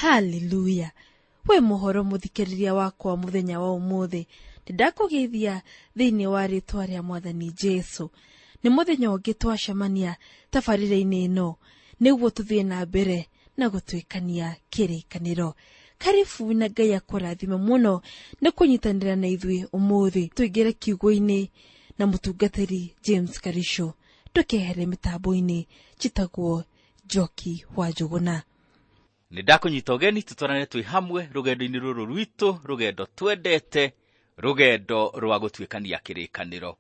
Haleluya! We muhoro muthikiriria wakwa muthenya wa umuthi, ndakũgeithia thĩinĩ wa rĩtwa rĩa Mwathani Jesu. Nĩ mũthenya ũngĩ twacemania tabarĩra-inĩ ĩno nĩguo tũthiĩ na mbere na gũtuĩkania kĩrĩkanĩro. Karibu na Ngai akũrathime mũno nĩ kũnyitanĩra na ithuĩ ũmũthĩ. Tũingĩre kiugo-inĩ na mũtungatĩri James Karisho. Ndũkehere mĩtambo-inĩ, njĩtagwo Njoki wa Njũgũna. Nĩ ndakũnyita ũgeni tũtwarane twĩ hamwe rũgendo-inĩ rũrũ rwitũ, rũgendo twendete, rũgendo rwa gũtuĩkania kĩrĩkanĩro.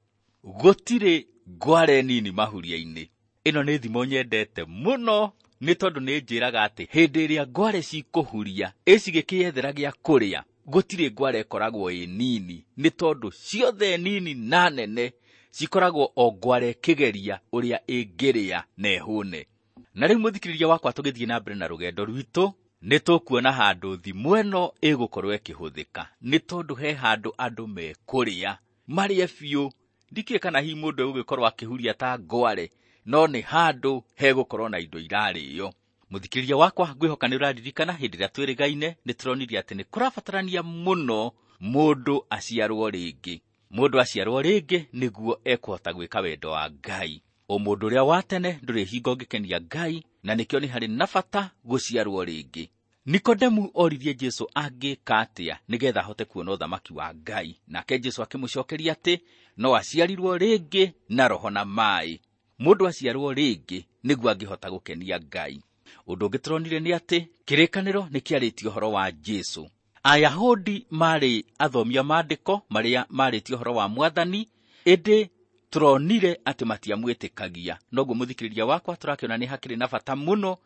Gũtirĩ ngware nini mahuria-inĩ. Ĩno nĩ thimo nyendete mũno nĩ tondũ nĩ njĩraga atĩ hĩndĩ ĩrĩa ngware cikũhuria ĩcigĩkĩyethera gĩa kũrĩa, gũtirĩ ngware ĩkoragwo ĩ nini, nĩ tondũ ciothe nini na nene cikoragwo o ngware ĩkĩgeria ũrĩa ĩngĩrĩa na ĩhũne. Na rĩu mũthikĩrĩria wakwa, tũgĩthiĩ na mbere na rũgendo rwitũ, nĩ tũkuona handũ thimũ ĩno ĩgũkorwo ĩkĩhũthĩka, nĩ tondũ he handũ andũ mekũrĩa marĩe biũ. Ndikĩũĩ kana hihi mũndũ egũgĩkorwo akĩhuria ta ngware, no nĩ handũ hegũkorwo na indo irarĩo. Mũthikĩrĩria wakwa, ngwĩhoka nĩ ũraririkana hĩndĩ ĩrĩa twĩrĩgaine nĩ tũronirie atĩ nĩ kũrabatarania mũno mũndũ aciarwo rĩngĩ. Mũndũ aciarwo rĩngĩ nĩguo ekũhota gwĩka wendo wa Ngai. Ũmũndũ ũrĩa wa tene ndũrĩ hingo ũngĩkenia Ngai, na nĩkĩo nĩ harĩ na bata gũciarwo rĩngĩ. Nikodemu oririe Jesu angĩka atĩa nĩgetha ahote kuona ũthamaki wa Ngai, nake Jesu akĩmũcokeria atĩ no aciarirwo rĩngĩ na roho na maĩ. Mũndũ aciarwo rĩngĩ nĩguo angĩhota gũkenia Ngai. Ũndũ ũngĩ tũronire nĩ atĩ kĩrĩkanĩro nĩ kĩarĩtie ũhoro wa Jesu. Ayahudi marĩ athomia maandĩko marĩa marĩtie ũhoro wa Mwathani, ĩndĩ tũronire atĩ matiamwĩtĩkagia. Noguo mũthikĩrĩria wakwa, tũrakĩona nĩ hakĩrĩ na bata mũno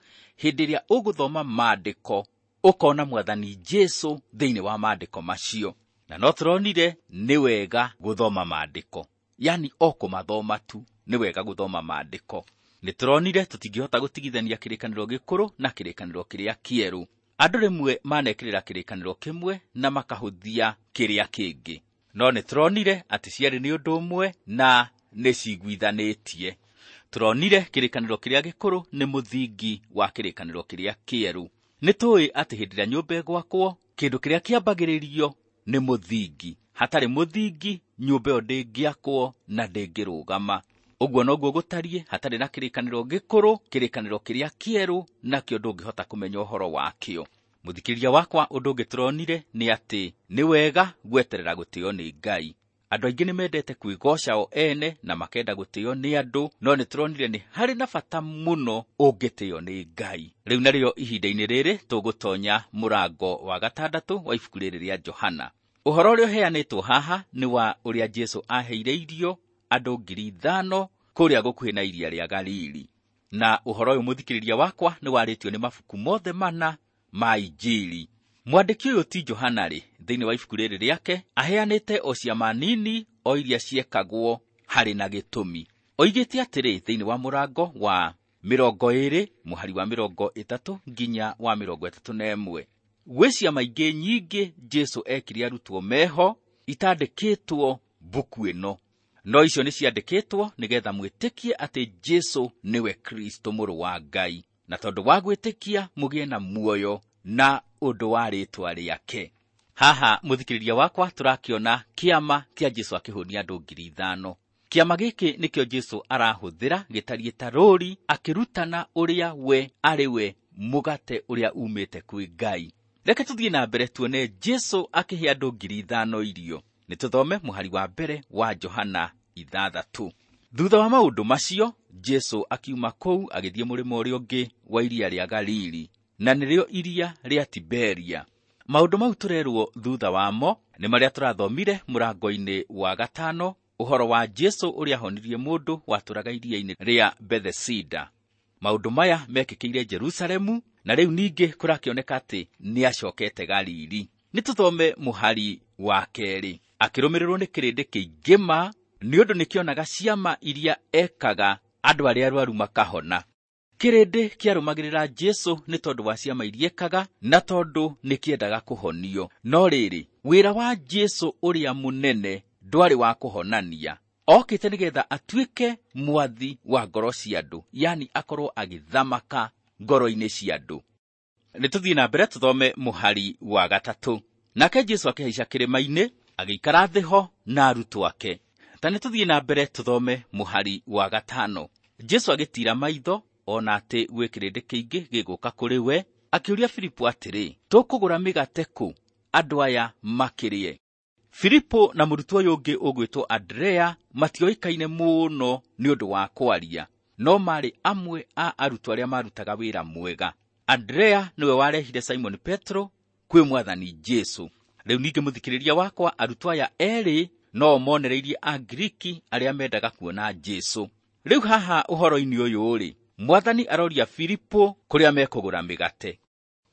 hĩndĩ ĩrĩa ũgũthoma maandĩko ũkona Mwathani Jesu thĩinĩ wa maandĩko macio. Na no tũronire nĩ wega gũthoma maandĩko, yani o kũmathoma tu, nĩ wega gũthoma maandĩko. Nĩ tũronire tũtingĩhota gũtigithania kĩrĩkanĩro gĩkũrũ na kĩrĩkanĩro kĩrĩa kĩerũ. Andũ rĩmwe manekĩrĩra kĩrĩkanĩro kĩmwe na makahũthia kĩrĩa kĩngĩ, no nĩ tũronire atĩ ciarĩ nĩ ũndũ ũmwe na nĩ ciguithanĩtie. Tũronire kĩrĩkanĩro kĩrĩa gĩkũrũ nĩ mũthingi wa kĩrĩkanĩro kĩrĩa kĩerũ. Nĩ tũĩ atĩ hĩndĩ ĩrĩa nyũmba ĩgwakwo, kĩndũ kĩrĩa kĩambagĩrĩrio nĩ mũthingi. Hatarĩ mũthingi, nyũmba ĩyo ndĩngĩakwo na ndĩngĩrũgama. Ũguo noguo gũtariĩ hatarĩ na kĩrĩkanĩro gĩkũrũ, kĩrĩkanĩro kĩrĩa kĩerũ nakĩo ndũngĩhota kũmenya ũhoro wakĩo. Mũthikĩrĩria wakwa, ũndũ ũngĩ tũronire nĩ atĩ nĩ wega gweterera gũtĩo nĩ Ngai. Andũ aingĩ nĩ mendete kwĩgoca o ene na makenda gũtĩo nĩ andũ, no nĩ tũronire nĩ harĩ na bata mũno ũngĩtĩo nĩ Ngai. Rĩu narĩo ihinda-inĩ rĩrĩ tũgũtonya mũrango wa gatandatũ wa ibuku rĩrĩ rĩa Johana. Ũhoro ũrĩa ũheanĩtwo haha nĩ wa ũrĩa Jesu aheire irio andũ 5,000 kũrĩa gũkuhĩ na iria rĩa Galili. Na ũhoro ũyũ mũthikĩrĩria wakwa nĩ warĩtio nĩ mabuku mothe mana ma Injili. Mwandĩki ũyũ ti Johana rĩ, thĩinĩ wa ibuku rĩrĩ rĩake aheanĩte o ciama nini o iria ciekagwo harĩ na gĩtũmi. Oigĩte atĩrĩ thĩinĩ wa mũrango wa 20 mũhari wa 30 nginya wa 31, gwĩ ciama ingĩ nyingĩ Jesu ekire arutwo meho itandĩkĩtwo mbuku ĩno, no icio nĩ ciandĩkĩtwo nĩgetha mwĩtĩkie atĩ Jesu nĩwe Kristo mũrũ wa Ngai, na tondũ wa gwĩtĩkia mũgĩe na muoyo na ũndũ wa rĩtwa rĩake. Haha mũthikĩrĩria wakwa, tũrakĩona kĩama kĩa Jesu akĩhũnia andũ 5,000. Kĩama gĩkĩ nĩkĩo Jesu arahũthĩra gĩtariĩ ta rũri akĩrutana ũrĩa we arĩ we mũgate ũrĩa umĩte kwĩ Ngai. Reke tũthiĩ na mbere tuone Jesu akĩhe andũ 5,000 irio. Nĩ tũthome mũhari wa mbere wa Johana 6. Thutha wa maũndũ macio, Jesu akiuma kũu agĩthiĩ mũrĩmo ũrĩa ũngĩ wa iria rĩa Galili, na nĩrĩo iria rĩa Tiberia. Maũndũ mau tũrerwo thutha wamo nĩ marĩa tũrathomire mũrango-inĩ wa 5, ũhoro wa Jesu ũrĩa ahonirie mũndũ watũraga iria-inĩ rĩa Bethesida. Maũndũ maya mekĩkĩire Jerusalemu, na rĩu ningĩ kũrakĩoneka atĩ nĩacokete Galili. Nĩ tũthome mũhari wa 2. Akĩrũmĩrĩrwo nĩ kĩrĩndĩ kĩingĩ ma, nĩ ũndũ nĩkĩonaga ciama iria ekaga andũ arĩa arwaru makahona. Kĩrĩndĩ kĩarũmagĩrĩra Jesu nĩ tondũ wa ciama iria ekaga na tondũ nĩkĩendaga kũhonio. No rĩrĩ, wĩra wa Jesu ũrĩa mũnene ndwarĩ wa kũhonania. Okĩte nĩgetha atuĩke mwathi wa ngoro cia andũ, yani akorwo agĩthamaka ngoro-inĩ cia andũ. Nĩ tũthiĩ na mbere tũthome mũhari wa 3. Nake Jesũ akĩhaica kĩrĩma-inĩ, agĩikara thĩ ho na arutwo ake. Ta nĩ tũthiĩ na mbere tũthome mũhari wa 5. Jesũ agĩtiira maitho ona atĩ gwĩ kĩrĩndĩ kĩingĩ gĩgũka kũrĩ we, akĩũria Filipo atĩrĩ, tũkũgũra mĩgate kũ andũ aya makĩrĩe? Filipo na mũrutwo ũyũ ũngĩ ũgwĩtwo Andrea matioĩkaine mũno nĩ ũndũ wa kwaria, no maarĩ amwe a arutwo arĩa marutaga wĩra mwega. Andrea nĩwe warehire Simon Petro kwĩ Mwathani Jesũ. Rĩu ningĩ mũthikĩrĩria wakwa, arutwo aya erĩ no monereirie Angiriki arĩa mendaga kuona Jesũ. Rĩu haha ũhoro-inĩ ũyũ rĩ, Mwathani aroria Filipo kũrĩa mekũgũra mĩgate.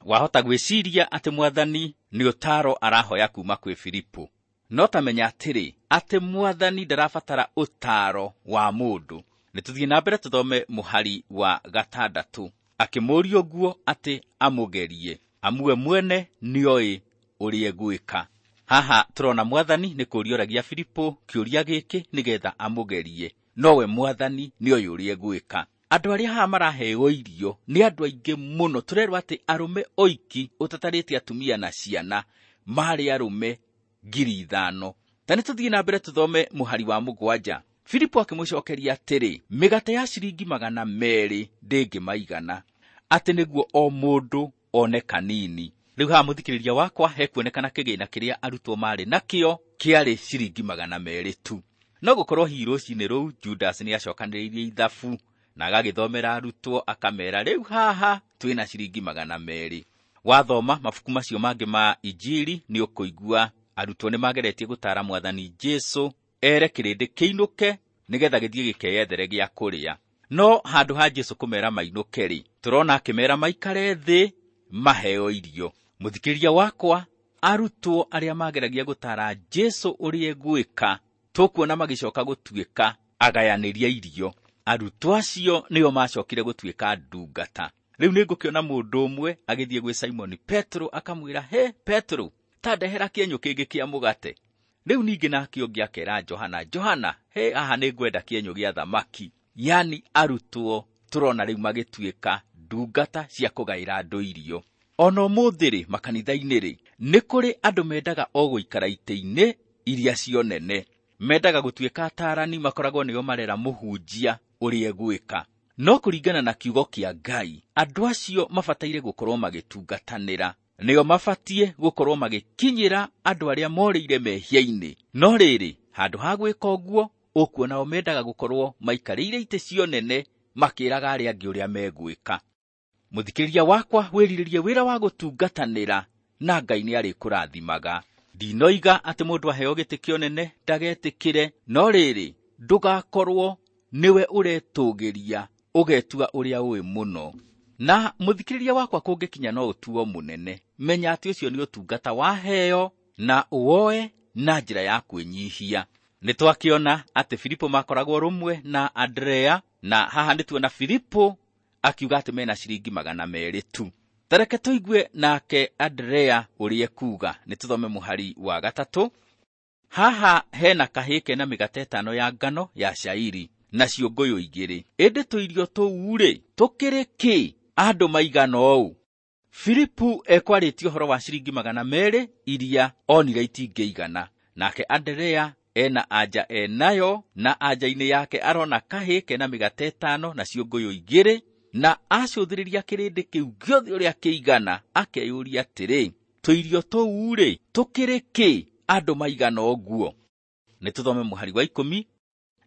Wahota gwĩciria atĩ Mwathani nĩ ũtaaro arahoya kuma kwĩ Filipo. No ta menya atĩrĩ, atĩ Mwathani ndarabatara ũtaaro wa mũndũ. Nĩ tũthiĩ na mbere tũthome mũhari wa 6. Akĩmũũria ũguo atĩ amũgerie, amu we mwene nĩoĩ ũrĩa egwĩka. Haha tũrona Mwathani nĩ kũũria oragia Filipo kĩũria gĩkĩ nĩgetha amũgerie, nowe Mwathani nĩoĩ ũrĩa egwĩka. Andũ arĩa haha maraheo irio nĩ andũ aingĩ mũno. Tũrerwo atĩ arũme oiki ũtatarĩte atumia na ciana marĩ arũme 5,000. Ta nĩ tũthiĩ na mbere tũthome mũhari wa 7. Filipo akĩmũcokeria atĩrĩ, mĩgate ya ciringi 200 ndĩngĩmaigana, atĩ nĩguo o mũndũ one kanini. Rĩu haha mũthikĩrĩria wakwa, hekuonekana kĩgĩna kĩrĩa arutwo marĩ nakĩo kĩarĩ ciringi 200 tu. No gũkorwo hihi rũcinĩ rũu Judas nĩacokanĩrĩirie ithabu na agagĩthomera arutwo akamera, rĩu haha twĩna ciringi 200. Wathoma mabuku macio mangĩ ma Injiri nĩ ũkũigua arutwo nĩ mageretie gũtaara Mwathani Jesũ ere kĩrĩndĩ kĩinũke nĩgetha gĩthiĩ gĩkeyethere gĩa kũrĩa. No handũ ha Jesũ kũmera mainũke rĩ, tũrona akĩmera maikare thĩ maheo irio. Mũthikĩrĩria wakwa, arutwo arĩa mageragia gũtaara Jesũ ũrĩa egwĩka, tũkuona magĩcoka gũtuĩka agayanĩria irio. Arutwo acio nĩo macokire gũtuĩka ndungata. Rĩu nĩngũkĩona mũndũ ũmwe agĩthiĩ gwĩ Simoni Petro akamwĩra, he Petro, ta ndehera kĩenyũ kĩngĩ kĩa mũgate. Rĩu ningĩ nake ũngĩ akera Johana, Johana, he haha nĩngwenda kĩenyũ gĩa thamaki. Yani arutwo tũrona rĩu magĩtuĩka ndungata cia kũgaĩra andũ irio. Ona ũmũthĩ rĩ, makanitha-inĩ rĩ, nĩ kũrĩ andũ mendaga o gũikara itĩ-inĩ iria cio nene. Mendaga gũtuĩka ataarani, makoragwo nĩo marera mũhunjia ũrĩa egwĩka. No kũringana na kiugo kĩa Ngai, andũ acio mabataire gũkorwo magĩtungatanĩra. Nĩo mabatiĩ gũkorwo magĩkinyĩra andũ arĩa morĩire mehia-inĩ. No rĩrĩ, handũ ha gwĩka ũguo, ũkuona o mendaga gũkorwo maikarĩire itĩ cio nene makĩraga arĩa angĩ ũrĩa megwĩka. Mũthikĩrĩria wakwa, wĩrirĩrie wĩra wa gũtungatanĩra na Ngai nĩarĩkũrathimaga. Ndinoiga atĩ mũndũ aheo gĩtĩ kĩonene ndagetĩkĩre, no rĩrĩ, ndũgakorwo nĩwe ũretũgĩria ũgetua ũrĩa ũĩ mũno. Na mũthikĩrĩria wakwa, kũngĩkinya no ũtuo mũnene, menya atĩ ũcio nĩ ũtungata waheo na ũwoe na njĩra ya kwĩnyihia. Nĩ twakĩona atĩ Filipo makoragwo rũmwe na Andrea, na haha nĩ tuona Filipo akiuga atĩ mena ciringi 200 tu. Ta reke tũigue nake Andrea ũrĩa ekuuga. Nĩ tũthome mũhari wa 3. Haha hena kahĩĩ kena mĩgate 5 ya ngano ya cairi na ciũngũyũ 2, ĩndĩ tũirio tũu rĩ tũkĩrĩ kĩ andũ maigana ũũ? Filipu ekwarĩtie ũhoro wa ciringi 200 iria onire itingĩigana. Nake Andrea ena anja enayo, na anja-inĩ yake arona kahĩĩ kena mĩgate 5 na ciũngũyũ 2, na acũthĩrĩria kĩrĩndĩ kĩu gĩothe ũrĩa kĩigana, akeyũria atĩrĩ, tũirio tũu rĩ tũkĩrĩ kĩ andũ maigana ũguo? Nĩ tũthome mũhari wa 10.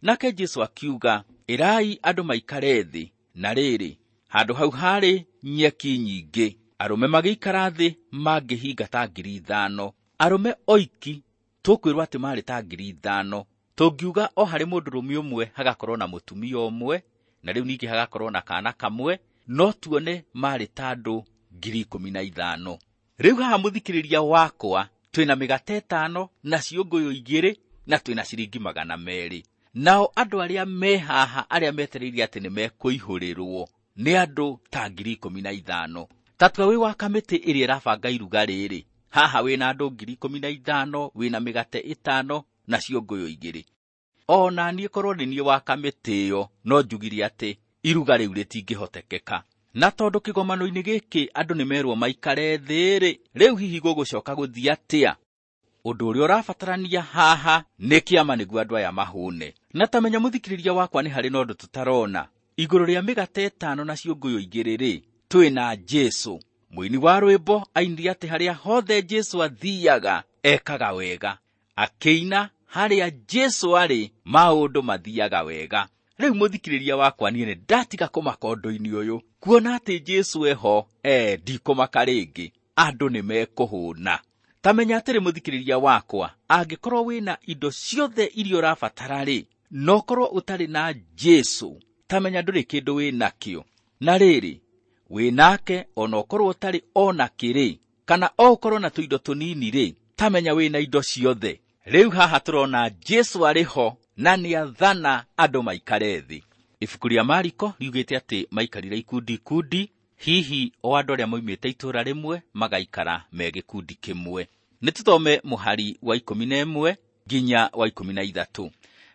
Nake Jesũ akiuga, ĩrai andũ maikare thĩ. Na rĩrĩ, handũ hau harĩ nyeki nyingĩ, arũme magĩikara thĩ mangĩhinga ta 5,000. Arũme oiki tũkwĩrwo atĩ marĩ ta 5,000. Tũngiuga o harĩ mũndũrũme ũmwe hagakorwo na mũtumia ũmwe, na rĩu ningĩ hagakorwo na kana kamwe, no tuone marĩ ta andũ 15,000. Rĩu haha mũthikĩrĩria wakwa, twĩna mĩgate 5 na ciũngũyũ 2 na twĩna ciringi 200. Nao andũ arĩa me haha arĩa metereire atĩ nĩ mekũihũrĩrwo nĩ andũ ta 15,000. Ta tua wĩ wa kamĩtĩ ĩrĩa ĩrabanga iruga rĩrĩ, haha wĩna andũ 15,000, wĩna mĩgate 5 na ciũngũyũ 2. Ona niĩ korwo nĩ niĩ wa kamĩtĩ ĩyo, no njugire atĩ iruga rĩu rĩtingĩhotekeka. Na tondũ kĩgomano-inĩ gĩkĩ andũ nĩmerwo maikare thĩ-rĩ, rĩu hihi gũgũcoka gũthiĩ atĩa? Ũndũ ũrĩa ũrabatarania haha nĩ kĩama nĩguo andũ aya mahũne. Na ta menya mũthikĩrĩria wakwa, nĩ harĩ na ũndũ tũtarona. Igũrũ rĩa mĩgate 5 na ciũngũyũ 2-rĩ, twĩna Jesũ. Mũini wa rwĩmbo ainire atĩ harĩa hothe Jesũ athiaga ekaga wega. Akĩina harĩa Jesũ arĩ maũndũ mathiaga wega. Rĩu mũthikĩrĩria wakwa, niĩ nĩ ndatiga kũmaka ũndũ-inĩ ũyũ, kuona atĩ Jesũ eho, ndikũmaka rĩngĩ, andũ nĩ mekũhũna. Ta menya atĩrĩ mũthikĩrĩria wakwa, angĩkorwo wĩna indo ciothe iria ũrabatara-rĩ, no ũkorwo ũtarĩ na Jesũ, ta menya ndũrĩ kĩndũ wĩnakĩo. Na rĩrĩ, wĩnake ona ũkorwo ũtarĩ ona kĩrĩ, kana o ũkorwo na tũindo tũnini-rĩ, ta menya wĩna indo ciothe. Rĩu haha tũrona Jesũ arĩ ho na nĩathana andũ maikare thĩ. Ibuku rĩa Mariko riugĩte atĩ maikarire ikundi ikundi, hihi o andũ arĩa moimĩte itũũra rĩmwe magaikara me gĩkundi kĩmwe. Nĩ tũthome mũhari wa 11 nginya wa 13.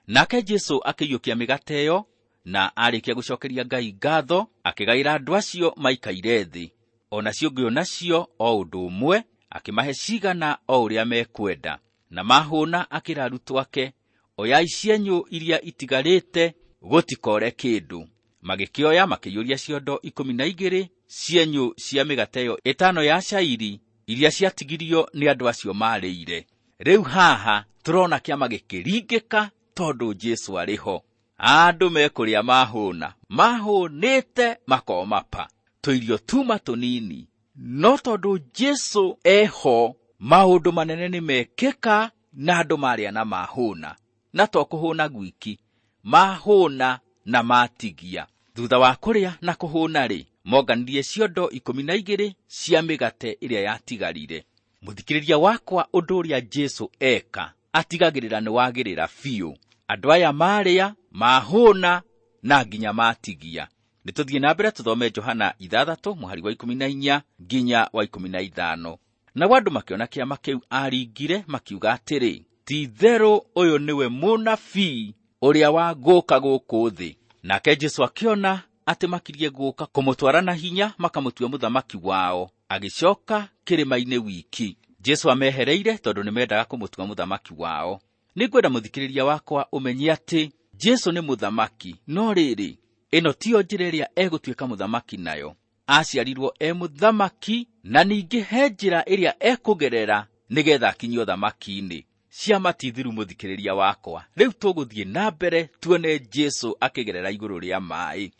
Nake Jesũ akĩiyũkia mĩgate ĩyo, na arĩkia gũcokeria Ngai ngatho, akĩgaĩra andũ acio maikaire thĩ. Ona ciũngũyũ nacio o ũndũ ũmwe, akĩmahe cigana o ũrĩa mekwenda. Na mahũna akĩra arutwo ake, oyai cienyũ iria itigarĩte, gũtikore kĩndũ. Magĩkĩoya makĩiyũria ciondo 12 cienyũ cia mĩgate ĩyo 5 ya cairi iria ciatigirio nĩ andũ acio marĩire. Rĩu haha tũrona kĩama gĩkĩringĩka tondũ Jesũ arĩ ho. Andũ mekũrĩa mahũna, mahũnĩte makomapa, tũirio tuma tũnini. No tondũ Jesũ eho, maũndũ manene nĩ mekĩka na andũ marĩa na mahũna. Na to kũhũna gwiki, mahũna na matigia. Thutha wa kũrĩa na kũhũna-rĩ, monganirie ciondo 12 cia mĩgate ĩrĩa yatigarire. Mũthikĩrĩria wakwa, ũndũ ũrĩa Jesũ eka atigagĩrĩra nĩ wagĩrĩra biũ. Andũ aya marĩa, mahũna na nginya matigia. Nĩ tũthiĩ na mbere tũthome Johana 6 mũhari wa 14 nginya wa 15. Nao andũ makĩona kĩama kĩu aringire, makiuga atĩrĩ, ti-itherũ ũyũ nĩwe mũnabii ũrĩa wa gũka gũkũ thĩ. Nake Jesũ akĩona atĩ makirie gũka kũmũtwara na hinya makamũtua mũthamaki wao, agĩcoka kĩrĩma-inĩ wiki. Jesũ amehereire tondũ nĩmendaga kũmũtua mũthamaki wao. Nĩngwenda mũthikĩrĩria wakwa ũmenye atĩ Jesũ nĩ mũthamaki, no rĩrĩ, ĩno tiyo njĩra ĩrĩa egũtuĩka mũthamaki nayo. Aciarirwo e mũthamaki, na ningĩ he njĩra ĩrĩa ekũgerera nĩgetha akinyio ũthamaki-inĩ. Ciama ti thiru mũthikĩrĩria wakwa. Rĩu tũgũthiĩ na mbere tuone Jesũ akĩgerera igũrũ rĩa maĩ.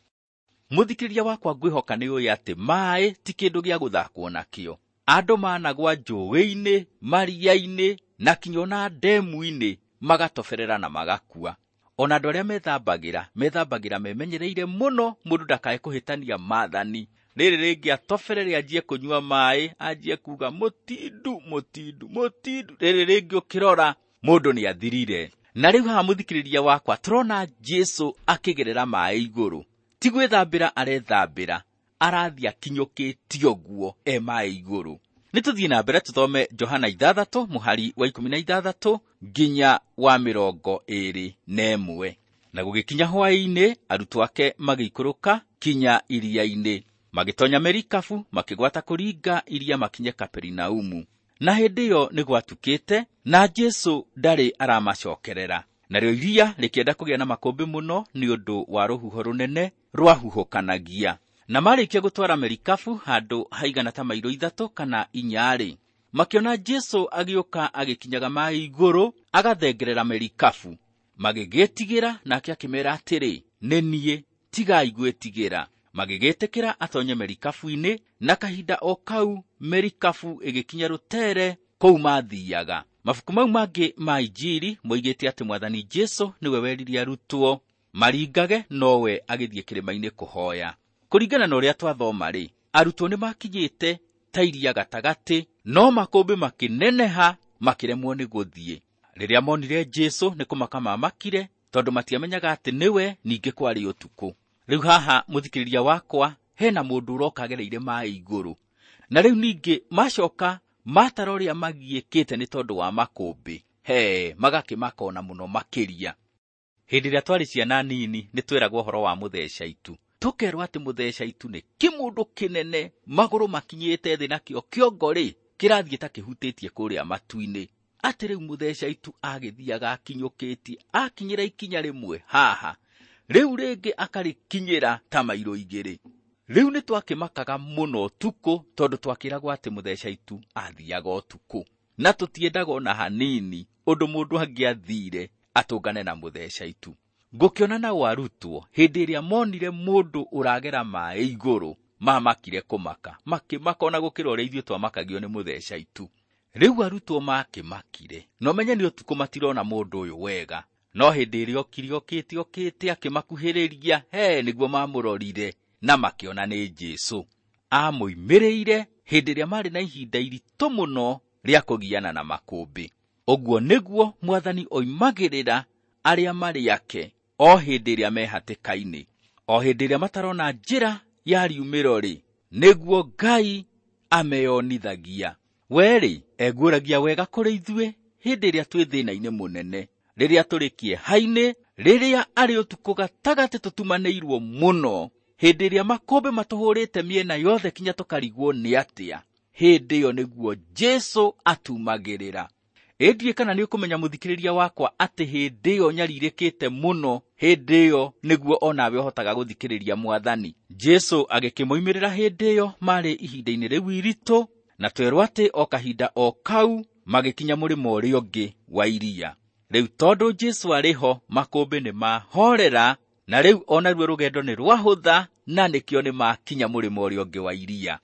Mũthikĩrĩria wakwa, ngwĩhoka nĩ ũĩ atĩ maĩ ti kĩndũ gĩa gũthakwo nakĩo. Andũ managwa njũĩ-inĩ, maria-inĩ, na kinya ona ndemu-inĩ, magatoberera na magakua. Ona andũ arĩa methambagĩra, methambagĩra memenyereire mũno mũndũ ndakae kũhĩtania maathani. Rĩrĩ rĩngĩ atoberere anjie kũnyua maĩ, anjie kuga mũtindu, mũtindu, mũtindu. Rĩrĩ rĩngĩ ũkĩrora mũndũ nĩ athirire. Na rĩu haha mũthikĩrĩria wakwa, tũrona Jesũ akĩgerera maĩ igũrũ. Ti gwĩthambĩra arethambĩra, arathiĩ akinyũkĩtie ũguo e maĩ igũrũ. Nĩ tũthiĩ na mbere tũthome Johana 6 mũhari wa 16 nginya wa 21. Na gũgĩkinya hwaĩ-inĩ, arutwo ake magĩikũrũka kinya iria-inĩ. Magĩtonya merikabu, makĩgwata kũringa iria makinye Kaperinaumu. Na hĩndĩ ĩyo nĩ gwatukĩte, na Jesũ ndarĩ aramacokerera. Narĩo iria rĩkĩenda kũgĩa na makũmbĩ mũno nĩ ũndũ wa rũhuho rũnene rwahuhũkanagia. Na marĩkia gũtwara merikabu handũ haigana ta mairo 3 kana 4-rĩ, makĩona Jesũ agĩũka agĩkinyaga maĩ igũrũ agathengerera merikabu. Magĩgĩtigĩra, nake akĩmeera atĩrĩ, nĩ niĩ, tigai gwĩtigĩra. Magĩgĩtĩkĩra atonye merikabu-inĩ, na kahinda o kau merikabu ĩgĩkinya rũtere kũu mathiaga. Mabuku mau mangĩ ma Injiri moigĩte atĩ Mwathani Jesũ nĩwe werire arutwo maringage, nowe agĩthiĩ kĩrĩma-inĩ kũhoya. Kũringana na ũrĩa twathoma-rĩ, arutwo nĩmakinyĩte ta iria gatagatĩ, no makũmbĩ makĩneneha makĩremwo nĩ gũthiĩ. Rĩrĩa monire Jesũ nĩ kũmaka mamakire, tondũ matiamenyaga atĩ nĩwe, ningĩ kwarĩ ũtukũ. Rĩu haha mũthikĩrĩria wakwa, hena mũndũ ũroka agereire maĩ igũrũ. Na rĩu ningĩ macoka matara ũrĩa magiĩkĩte nĩ tondũ wa makũmbĩ, he magakĩmaka ona mũno makĩria. Hĩndĩ ĩrĩa twarĩ ciana nini nĩ tweragwo ũhoro wa mũtheca itu. Tũkerwo atĩ mũtheca itu nĩ kĩmũndũ kĩnene, magũrũ makinyĩte thĩ nakĩo kĩongo rĩ kĩrathiĩ ta kĩhutĩtie kũrĩa matu-inĩ. Atĩ rĩu mũtheca itu agĩthiaga akinyũkĩtie, akinyĩra ikinya rĩmwe haha, rĩu rĩngĩ akarĩkinyĩra ta mairo 2. Rĩu nĩ twakĩmakaga mũno ũtukũ tondũ twakĩragwo atĩ mũtheca itu athiaga ũtukũ, na tũtiendaga ona hanini ũndũ mũndũ angĩathire atũngane na mũtheca itu. Ngũkĩona nao arutwo hĩndĩ ĩrĩa monire mũndũ ũragera maĩ igũrũ, mamakire kũmaka, makĩmaka ona gũkĩra ũrĩa ithuĩ twamakagio nĩ mũtheca itu. Rĩu arutwo makĩmakire, na ũmenye nĩ ũtukũ matirona mũndũ ũyũ wega, no hĩndĩ ĩrĩa okire okĩte okĩte akĩmakuhĩrĩria, he nĩguo mamũrorire na makĩona nĩ Jesũ. Amũimĩrĩire hĩndĩ ĩrĩa marĩ na ihinda iritũ mũno rĩa kũgiana na makũmbĩ. Ũguo nĩguo Mwathani oimagĩrĩra arĩa marĩ ake o hĩndĩ ĩrĩa me hatĩka-inĩ, o hĩndĩ ĩrĩa matarona njĩra ya riumĩro rĩ, nĩguo Ngai ameyonithagia. We-rĩ, eguũragia wega kũrĩ ithuĩ hĩndĩ ĩrĩa twĩ thĩna-inĩ mũnene, rĩrĩa tũrĩ kĩeha-inĩ, rĩrĩa arĩ ũtukũ gatagatĩ tũtumanĩirwo mũno, hĩndĩ ĩrĩa makũmbĩ matũhũrĩte mĩena yothe kinya tũkarigwo nĩ atĩa, hĩndĩ ĩyo nĩguo Jesũ atumagĩrĩra. Ĩ ndiũĩ kana nĩ ũkũmenya mũthikĩrĩria wakwa atĩ hĩndĩ ĩyo nyarirĩkĩte mũno, hĩndĩ ĩyo nĩguo onawe ũhotaga gũthikĩrĩria Mwathani. Jesũ agĩkĩmoimĩrĩra hĩndĩ ĩyo marĩ ihinda-inĩ rĩu iritũ, na twerwo atĩ o kahinda o kau magĩkinya mũrĩmo ũrĩa ũngĩ wa iria. Rĩu tondũ Jesũ arĩ ho, makũmbĩ nĩ mahorera, na rĩu onaruo rũgendo nĩ rwahũtha, na nĩkĩo nĩ makinya mũrĩmo ũrĩa ũngĩ wa iria.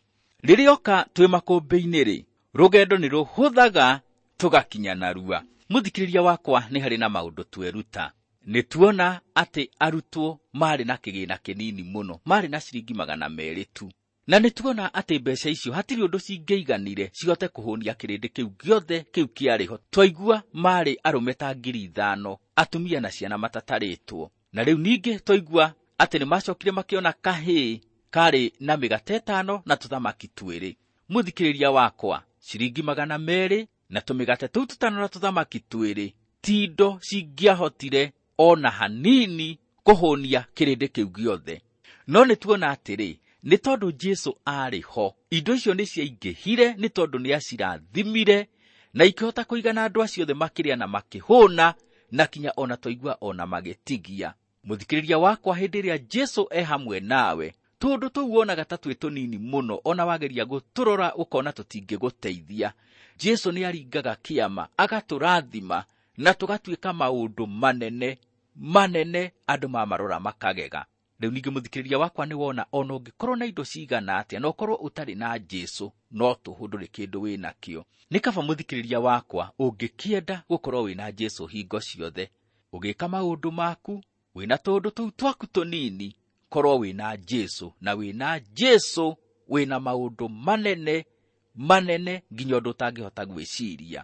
Rĩrĩa oka twĩ makũmbĩ-inĩ rĩ, rũgendo nĩ rũhũthaga tũgakinya narua. Mũthikĩrĩria wakwa, nĩ harĩ na maũndũ tweruta. Nĩ tuona atĩ arutwo marĩ na kĩgĩna kĩnini mũno, marĩ na ciringi 200 tu. Na nĩ tuona atĩ mbeca icio hatirĩ ũndũ cingĩiganire cihote kũhũnia kĩrĩndĩ kĩu gĩothe kĩu kĩarĩ ho. Twaigua marĩ arũme ta 5,000, atumia na ciana matatarĩtwo. Na rĩu ningĩ twaigua atĩ nĩ macokire makĩona kahĩĩ karĩ na mĩgate 5 na tũthamaki 2. Mũthikĩrĩria wakwa, ciringi 200 na tũmĩgate tũu 5 na tũthamaki 2 ti indo cingĩahotire ona hanini kũhũnia kĩrĩndĩ kĩu gĩothe. No nĩ tuona atĩrĩ, nĩ tondũ Jesũ aarĩ ho, indo icio nĩ ciaingĩhire nĩ tondũ nĩ acirathimire na ikĩhota kũigana andũ acio othe makĩrĩa na makĩhũna, na kinya ona twaigua ona magĩtigia. Mũthikĩrĩria wakwa, hĩndĩ ĩrĩa Jesũ e hamwe nawe, tũndũ tũu wonaga ta twĩ tũnini mũno, ona wageria gũtũrora ũkona tũtingĩgũteithia. Jesũ nĩ aringaga kĩama, agatũrathima na tũgatuĩka maũndũ manene manene andũ mamarora makagega. Rĩu ningĩ mũthikĩrĩria wakwa, nĩ wona ona ũngĩkorwo na indo cigana atĩa na ũkorwo ũtarĩ na Jesũ, no tũhũ ndũrĩ kĩndũ wĩ nakĩo. Nĩ kaba mũthikĩrĩria wakwa ũngĩkĩenda gũkorwo wĩna Jesũ hingo ciothe, ũgĩka maũndũ maku wĩna tũũndũ tũu twaku tũnini, korwo wĩna Jesũ, na wĩna Jesũ wĩna maũndũ manene manene nginya ũndũ ũtangĩhota gwĩciria.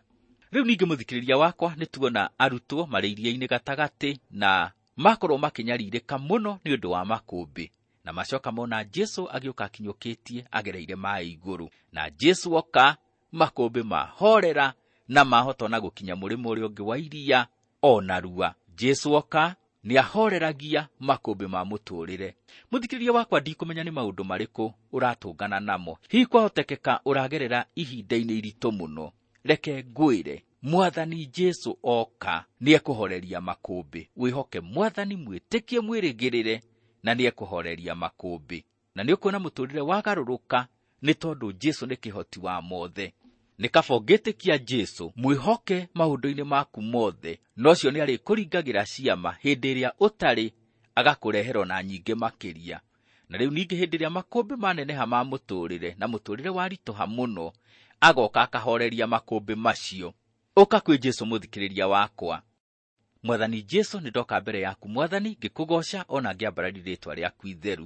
Rĩu ningĩ mũthikĩrĩria wakwa, nĩ tuona arutwo marĩ iria-inĩ gatagatĩ na makorwo makĩnyarirĩka mũno nĩ ũndũ wa makũmbĩ, na macoka mona Jesũ agĩũka akinyũkĩtie agereire maĩ igũrũ, na Jesũ oka makũmbĩ mahorera na mahota ona gũkinya mũrĩmo ũrĩa ũngĩ wa iria ona rua. Jesũ oka nĩ ahoreragia makũmbĩ ma mũtũrĩre. Mũthikĩrĩria wakwa, ndikũmenya nĩ maũndũ marĩkũ ũratũngana namo. Hihi kwahotekeka ũragerera ihinda-inĩ iritũ mũno. Reke ngwĩre, Mwathani Jesũ oka nĩ ekũhoreria makũmbĩ. Wĩhoke Mwathani, mwĩtĩkie, mwĩrĩgĩrĩre, na nĩ ekũhoreria makũmbĩ. Na nĩ ũkuona mũtũrĩre wagarũrũka nĩ tondũ Jesũ nĩ kĩhoti wa mothe. Nĩ kaba ũngĩtĩkia Jesũ, mwĩhoke maũndũ-inĩ maku mothe, na ũcio nĩ arĩkũringagĩra ciama hĩndĩ ĩrĩa ũtarĩ, agakũrehera ona nyingĩ makĩria. Na rĩu ningĩ hĩndĩ ĩrĩa makũmbĩ maneneha ma mũtũrĩre na mũtũrĩre waritũha mũno, agoka akahoreria makũmbĩ macio. Ũka kwĩ Jesũ mũthikĩrĩria wakwa. Mwathani Jesũ, nĩ ndoka mbere yaku Mwathani, ngĩkũgooca ona ngĩambararia rĩĩtwa rĩaku itheru.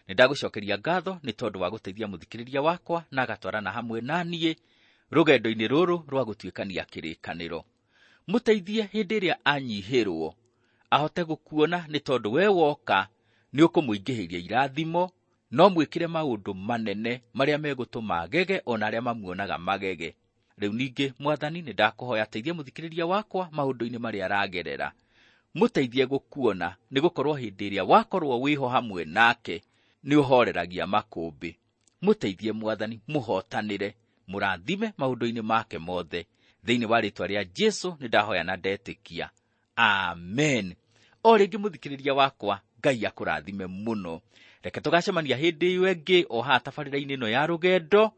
Nĩ ndagũcokeria ngatho nĩ tondũ wa gũteithia mũthikĩrĩria wakwa na agatwarana hamwe na niĩ rũgendo-inĩ rũrũ rwa gũtuĩkania kĩrĩkanĩro. Mũteithie hĩndĩ ĩrĩa anyihĩrwo ahote gũkuona, nĩ tondũ we woka nĩ ũkũmũingĩhĩria irathimo, no mwĩkĩre maũndũ manene marĩa megũtũma agege ona arĩa mamuonaga magege. Rĩu ningĩ Mwathani, nĩ ndakũhoya teithia mũthikĩrĩria wakwa maũndũ-inĩ marĩa aragerera. Mũteithie gũkuona, nĩ gũkorwo hĩndĩ ĩrĩa wakorwo wĩho hamwe nake, Nĩ ũhooreragia makũmbĩ. Mũteithie Mwathani, mũhootanĩre, mũrathime maũndũ-inĩ make mothe. Thĩinĩ wa rĩĩtwa rĩa Jesu nĩ ndahoya na ndetĩkia. Amen. O rĩngĩ mũthikĩrĩria wakwa, Ngai akũrathime mũno. Reke tũgacemania hĩndĩ ĩyo ĩngĩ o haha tabarĩra-inĩ ĩno ya rũgendo,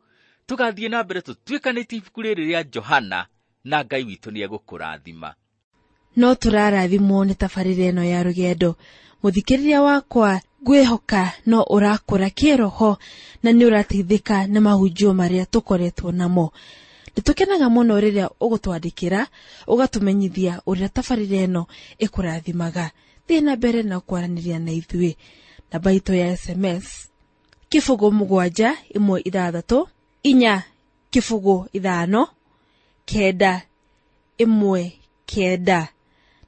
tũgathiĩ na mbere tũtuĩkanĩtie ibuku rĩrĩ rĩa Johana, na Ngai witũ nĩ egũkũrathima. No tũrarathimwo nĩ tabarĩra ĩno ya rũgendo. Mũthikĩrĩria wakwa, ngwĩhoka no ũrakũra kĩroho na nĩ ũrateithĩka nĩ mahunjio marĩa tũkoretwo namo. Nĩtũkenaga mũno rĩrĩa ũgũtwandĩkĩra, ũgatũmenyithia ũrĩa tabarĩra ĩno ĩkũrathimaga. Thiĩ na mbere na kwaranĩria na ithuĩ. Namba itũ ya SMS 0 7 1 6 4 0 5 9 1 9.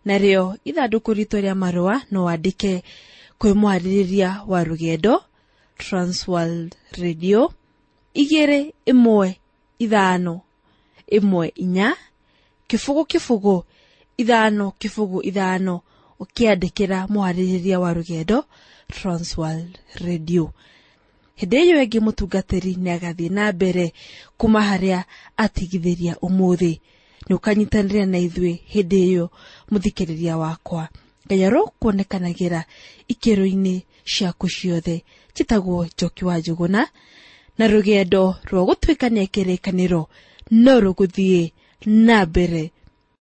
Narĩo ithandũkũ ritũ rĩa marũa no wandĩke kwĩ mwarĩrĩria wa rũgendo Transworld Radio 2 1 5 1 4 0 0 5 0 5, ũkĩandĩkĩra mwarĩrĩria wa rũgendo Transworld Radio. Hĩndĩ ĩyo ĩngĩ mũtungatĩri nĩ agathiĩ na mbere kuma harĩa atigithĩria ũmũthĩ. Nĩ ũkanyitanĩra na ithuĩ hĩndĩ ĩyo mũthikĩrĩria wakwa. Ngai arokuonekanagĩra ikĩro-inĩ ciaku ciothe. Njĩtagwo Njoki wa Njũgũna, na rũgendo rwa gũtuĩkania kĩrĩkanĩro no rũgũthiĩ na mbere.